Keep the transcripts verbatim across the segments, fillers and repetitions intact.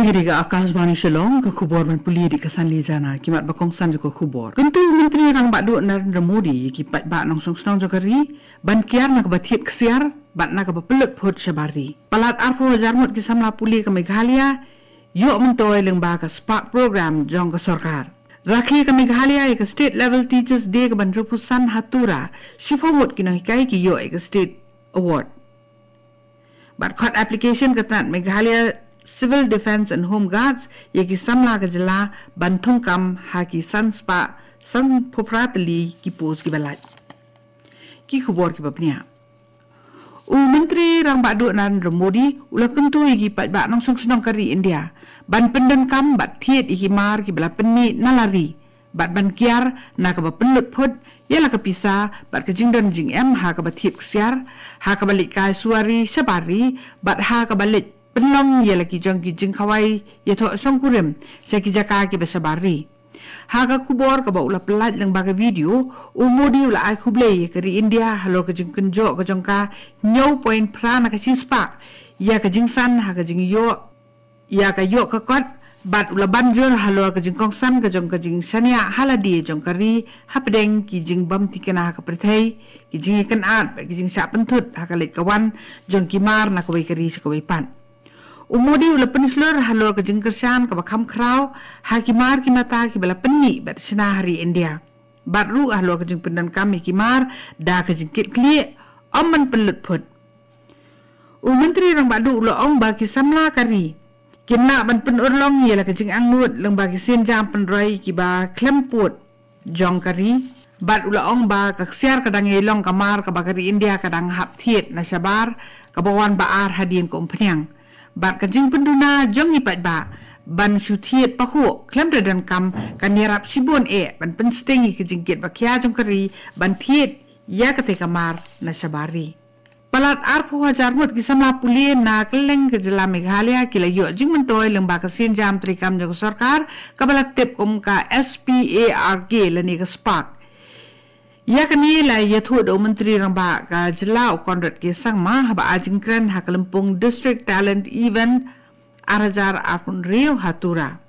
Kine ki dei ka Akashvani Shillong, ka khubor ban pule da ka Sandy Jana, ki mat ba kongsan jong ka khubor. Kyntu u Myntri Rangbah Duh Narendra Modi ïa ki paidbah nongshong shnong jong ka ri ban kiar na kaba thied ksiar bad na kaba pynlut phut shabar ri. Palat arphew hajar ngut ki samla pule ka Meghalaya ïoh myntoi lyngba ka SPARK program jong ka sorkar. Rakhe ka Meghalaya ïa ka State Level Teachers Day kaban hynriewphew san ha Tura, shiphew ngut ki nonghikai ki ïoh ïa ka State Award. Bad khot application ka tnat Meghalaya Civil Defence and Home Guards ïa ki samla ka jylla ban thungkam ha ki san spah sanphew phra tylli ki post kiba lait. Ki khubor kiba bniah. U Myntri Rangbah Duh Narendra Modi u la kyntu ïa ki paidbah nongshong shnong ka ri India ban pyndonkam bad thied ïa ki mar kiba la pynmih na la ri bad ban kiar na kaba pynlut phut ïa la ka pisa bad ka jingdon jingem ha kaba thied ksiar, ha kaba leit kai suwari shabar ri bad ha kaba leit pynlong ïa la ki jong ki jingkhawai ïathoh shongkurim sha ki jaka kiba shabar ri. Ha ka khubor kaba u la pynlait lyngba ka video, u Modi u la ai khublei ïa ka ri India halor ka jingkynjoh ka jong ka hynñiew point phra na ka shispah ïa ka jingsan ha ka jingïoh ïa ka ïoh ka kot, bad u la ban jur halor ka jingkongsan ka jong ka jingshaniah ha lade jong ka ri hapdeng ki jingbymthikna ha ka pyrthei, ki jingïakynad bad ki jingshah pynthut ha ka leit ka wan jong ki mar na kawei ka ri sha kawei pat. U Modi u la pynshlur halor ka jingkyrshan kaba kham khraw ha ki mar ki mata kiba la pynmih bad shna ha ri India, bad ruh halor ka jingpyndonkam ïa ki mar da ka jingkitkhlieh, ym ban pynlut phut. U Myntri Rangbah Duh u la ong ba ki samla ka ri kin lah ban pynurlong ïa la ka jingangnud lyngba ki sienjam pynroi kiba khlem pud jong ka ri, bad u la ong ba ka ksiar ka dang ïai long ka mar kaba ka ri India ka dang hap thied na shabar, kaba wan ba ar hadien ka umphniang. Bad ka jingpynduna jong ki paidbah ban shu thied pahuh khlem da donkam kan ïarap shibun eh ban pynsting ïa ka jingkit ba khia jong ka ri ban thied ïa katei ka mar na shabar ri. Palat arphew hajar ngut ki samla pule na kylleng ka jylla Meghalaya ki la ïoh jingmyntoi lyngba ka sienjam treikam jong ka sorkar kaba la tip kum ka S P A R K lane ka SPARK. Ïa kane la ïathuh da u Myntri Rangbah ka jylla u Conrad K Sangma haba ai jingkren ha ka lympung District Talent Event ar hajar arphew hynriew ha Tura.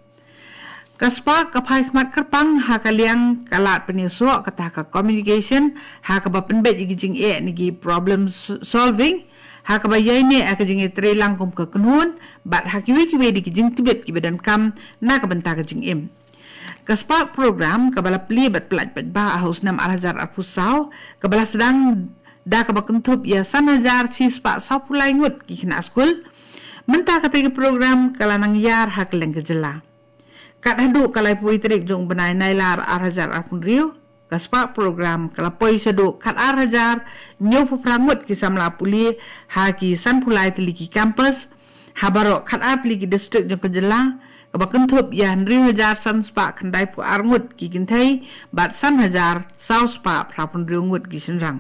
Ka SPARK ka phai khmat kyrpang ha ka liang ka lad pynïasoh kata ka communication ha kaba pynbeit ïa ki jingeh ne ki problem s-, solving, ha kaba ïaineh ha ka jingïatreilang kum ka kynhun, bad ha kiwei kiwei de ki jingtbit kiba donkam na ka bynta ka jingim. Ka SPARK program kaba la plie bad pyllait paidbah ha u snem ar hajar arphew saw, kaba la sdang da kaba kynthup ïa san hajar shispah sawphew lai ngut ki khynnah skul. Mynta katei ka program ka la nang ïar ha kylleng ka jylla. Kat haduh ka laiphew tarik jong u bnai Nailar ar hajar arphew hynriew, ka SPARK program ka la poi shaduh kat ar hajar hynñiewphew phra ngut ki samla pule ha ki sanphew lai tylli ki campus, ha baroh kat ar tylli ki district jong ka jylla, kaba kynthup ïa hynriew hajar san spah khyndaiphew ar ngut ki kynthei bad san hajar saw spah phraphew hynriew ngut ki shynrang.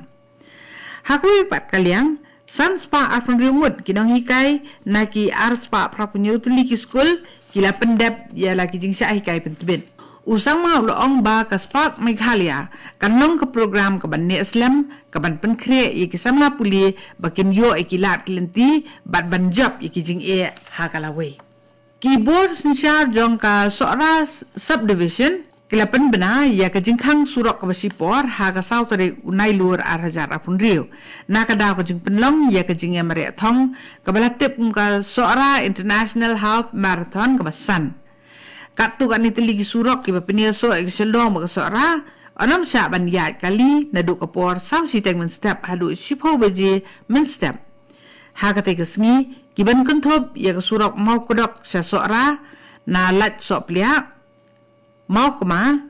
Ha kawei pat ka liang, san spah arphew hynriew ngut ki nonghikai na ki ar spah phraphew hynñiew tylli ki skul ki la pyndep ïa la ki jingshah hikai pyntbit. U Sangma u la ong ba ka SPARK Meghalaya kan long ka program kaban neh slem, kaban pynkhreh ïa ki samla pule ba kin ïoh ïa ki lad ki lynti bad ban jop ïa ki jingeh ha ka lawei. Ki bor synshar jong ka Sohra Subdivision ki la pynbna ïa ka jingkhang surok kaba shipor ha ka saw tarik u Nailur ar hajar arphew hynriew, na ka daw ka jingpynlong ïa ka jingïamareh thong kaba la tip kum ka Sohra International Half Marathon kaba san. Katto katne tylli ki surok kiba pynïasoh ïa ka Shillong bad ka Sohra yn ym shah ban ïaid kali naduh ka por saw shiteng mynstep haduh shiphew baje mynstep. Ha katei ka sngi, kiban kynthup ïa ka surok Mawkdok sha Sohra, na Lad Sohpliah, Mawkma,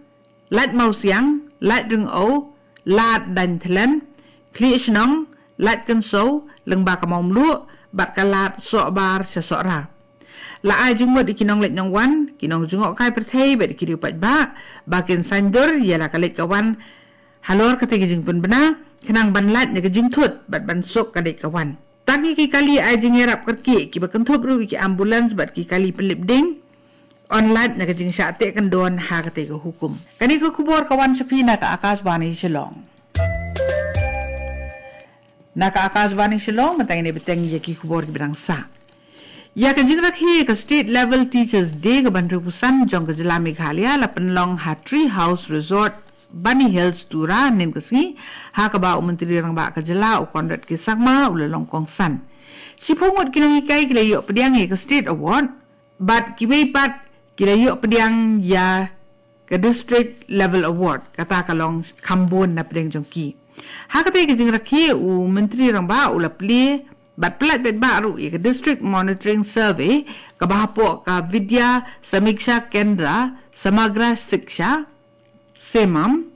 Lad Mawsiang, Lad Ryngew, Lad Dainthlen, Khlieh Shnong, Lad Kynsew, lyngba ka Mawmluh, bad ka Lad Sohbar sha Sohra. La ai jingmut ïa ki nongleit nongwan, ki nongjngohkai pyrthei bad ki riew paidbah ba kin saiñdur ïa la ka leit ka wan halor katei ka jingpynbna, khnang ban lait na ka jingthut bad ban suk ka leit ka wan. Tang ïa ki kali ai jingïarap kyrkieh kiba kynthup ruh ïa ki ambulance bad ki kali pynlip ding yn lait na ka jingshah teh kyndon ha katei ka hukum. Kane ka khubor ka wan sha phi na ka Akashvani Shillong. Na ka Akashvani Shillong, mynta ngin ïa bteng ïa ki khubor kiba dang sah. Ïa ka jingrakhe ka State Level Teachers Day kaba hynriewphew san jong ka jylla Meghalaya la pynlong ha Tree House Resort, Bani Hills, Tura, mynne ka sngi, ha kaba u Myntri Rangbah ka jylla u Conrad K Sangma u la long kongsan. Shiphew ngut ki nonghikai ki la ïoh pdiang ïa ka State Award, bad kiwei pat ki la ïoh pdiang ïa ka District Level Award, kata ka long kham bun na pdeng jong ki. Ha katei ka jingrakhe u Myntri Rangbah u la plie bad pyllait paidbah ruh ïa ka District Monitoring Survey kaba hapoh ka Vidya Samiksha Kendra Samagra Shiksha, SEMAM.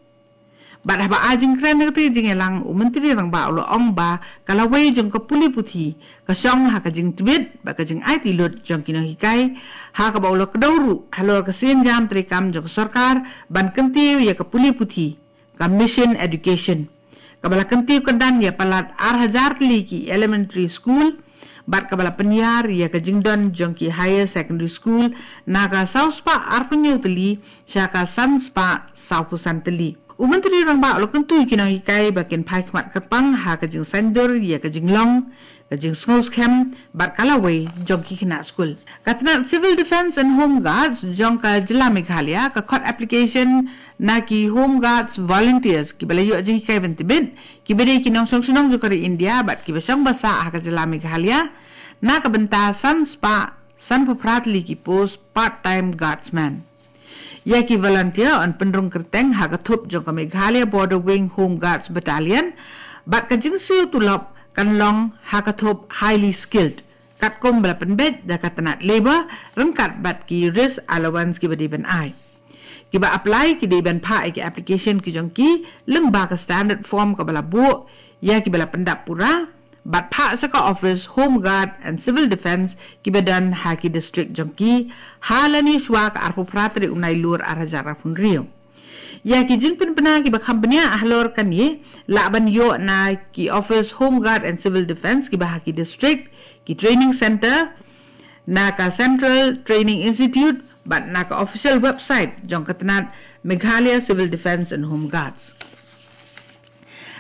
Bad haba ai jingkren ha katei ka jingïalang, u Myntri Rangbah u la ong ba ka lawei jong ka pule puthi ka shong ha ka jingtbit bad ka jingaiti lut jong ki nonghikai, ha kaba u la kdew ruh halor ka synjam treikam jong ka sorkar ban kyntiew ïa ka pule puthi, ka Mission Education, kaba la kyntiew kyrdan ïa palat ar hajar tylli ki elementary school, bad kaba la pynïar ïa ka jingdon jong ki higher secondary school na ka saw spah arphew hynñiew tylli sha ka san spah sawphew san tylli. U Myntri Rangbah u la kyntu ïa ki nonghikai ba kin phai khmat kyrpang ha ka jingsaiñdur ïa ka jinglong, ka jingsngewskhem bad ka lawei jong ki khynnah skul. Ka tnat Civil Defence and Home Guards jong ka jylla Meghalaya ka khot application na ki Home Guards volunteers kiba la ïoh jinghikai ban tbit, kiba dei ki nongshong shnong jong ka ri India bad kiba shong basa ha ka jylla Meghalaya, na ka bynta san spah sanphew phra tylli ki post part-time guardsman. Ïa ki volunteer yn pynrung kyrteng ha ka thup jong ka Meghalaya Border Wing Home Guards Battalion, bad ka jingsiew tulop kan long ha ka thup highly skilled, katkum ba la pynbeit da ka tnat Labour ryngkat bad ki risk allowance kiba dei ban ai. Kiba apply ki dei ban phah ïa ki application ki jong ki lyngba ka standard form kaba la buh ïa kiba la pyndap pura, bad phah sha ka office Home Guard and Civil Defence kiba don ha ki district jong ki, ha lane shuwa ka arphew phra tarik u Nailur ar hajar arphew hynriew. Ïa ki jingpynbna kiba kham bniah halor kane lah ban ïoh na ki office Home Guard and Civil Defence kiba ha ki district, ki training centre, na ka Central Training Institute, bad na ka official website jong ka tnat Meghalaya Civil Defence and Home Guards.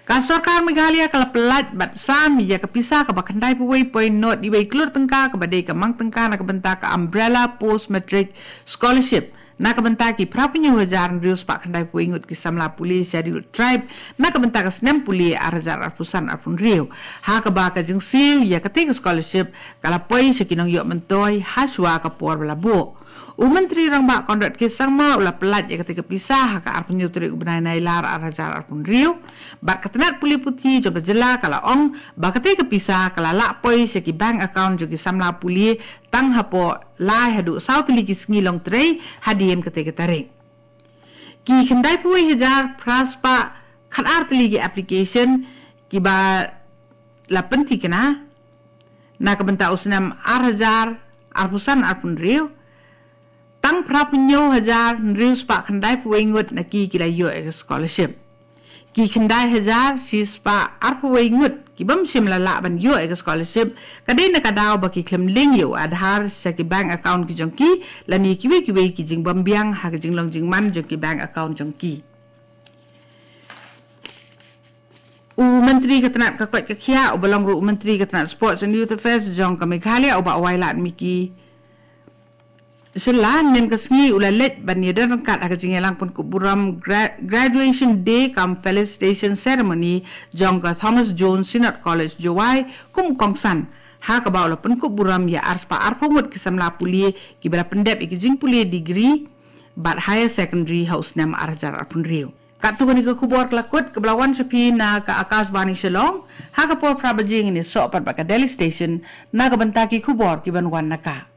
Ka sorkar Meghalaya ka la pyllait bad sam ïa ka pisa kaba khyndai phew wei point nod wei klur tyngka kaba dei ka mang tyngka na ka bynta ka Umbrella Post Matric Scholarship na ka bynta ki phra phew hynñiew hajar hynriew spah khyndai phew wei ngut ki samla pule Scheduled Tribe na ka bynta ka snem pule ar hajar arphew san arphew hynriew. Ha kaba ka jingsiew ïa katei ka scholarship ka la poi sha ki nongïoh myntoi ha shuwa ka por ba la buh. U Myntri Rangbah Conrad K Sangma u la pyllait ïa katei ka pisa ha ka arphew hynñiew tarik u bnai Nailar ar hajar arphew hynriew. Bad ka tnat pule puthi jong ka jylla ka la ong ba katei ka pisa ka la lah poi sha ki bank account jong ki samla pule tang hapoh lai haduh saw tylli ki sngi longtrei hadien katei ka tarik. Ki khyndai phew wei hajar phra spah khatar tylli ki application kiba la pynthikna na ka bynta u snem ar hajar arphew san arphew hynriew, tang phra phew hynñiew hajar hynriew spah khyndai phew wei ngut na ki ki la ïoh ïa ka scholarship. Ki khyndai hajar shi spah arphew wei ngut ki bym shym la lah ban ïoh ïa ka scholarship ka dei na ka daw ba ki khlem link ïa u Aadhaar sha ki bank account ki jong ki lane kiwei kiwei ki jingbymbiang ha ka jinglong jingman jong ki bank account jong ki. U Myntri ka tnat ka koit ka khiah uba long ruh u Myntri ka tnat Sports and Youth Affairs jong ka Meghalaya u Bah Wailadmiki Shylla mynne ka sngi u la leit ban ïadon ryngkat ha ka jingïalang pynkup burom gra-, Graduation Day cum Felicitation Ceremony jong ka Thomas Jones Synod College Jowai kum u kongsan, ha kaba u la pynkup burom ïa ar spah arphew ngut ki samla pule kiba la pyndep ïa ki jingpule degree bad higher secondary ha u snem ar hajar arphew hynriew. Katto kane ka khubor ka la kut kaba la wan sha phi na ka Akashvani Shillong, ha ka por phra baje ngin ïasoh pat bad ka Delhi Station na ka bynta ki khubor kiban wan na ka.